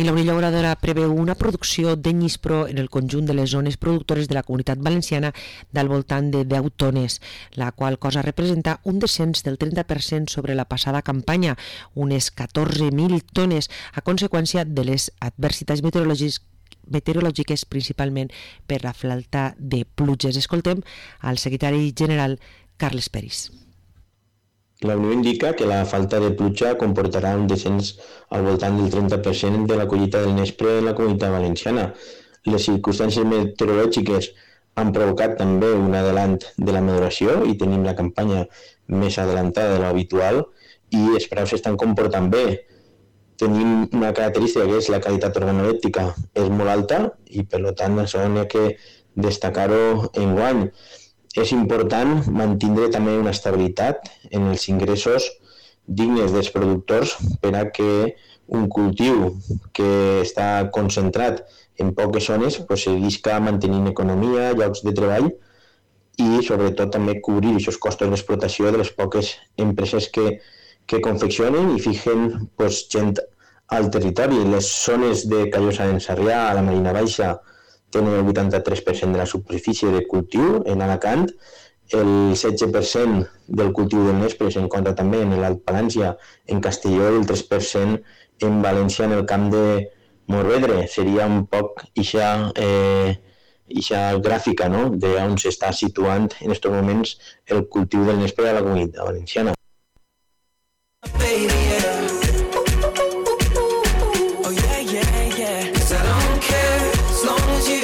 I la Unió Llauradora preveu una producció de Nyispro en el conjunt de les zones productores de la Comunitat Valenciana del voltant de 10 tones, la qual cosa representa un descens del 30% sobre la passada campanya, unes 14.000 tones, a conseqüència de les adversitats meteorològiques, principalment per la falta de pluges. Escoltem al secretari general Carles Peris. La Unió indica que la falta de pluja comportarà un descens al voltant del 30% de la collita del nespre en la Comunitat Valenciana. Les circumstàncies meteorològiques han provocat també un adelant de la maduració i tenim la campanya més adelantada de l'habitual i els preus s'estan comportant bé. Tenim una característica que és la qualitat organolèptica és molt alta i per tant això n'hi ha que destacar-ho enguany. És important mantenir també una estabilitat en els ingressos dignes dels productors per a que un cultiu que està concentrat en poques zones seguisca mantenint economia, llocs de treball i sobretot també cobrir aquests costos d'explotació de les poques empreses que confeccionen i fiquen gent al territori. Les zones de Callosa d'en Sarrià, a la Marina Baixa, tenen el 83% de la superfície de cultiu en Alacant, el 16% del cultiu del nespre s'encontra també en l'Alt Palància, en Castelló, i el 3% en València, en el camp de Morvedre. Seria un poc aquesta gràfica, no?, d'on s'està situant en aquests moments el cultiu del nespre a la Comunitat Valenciana.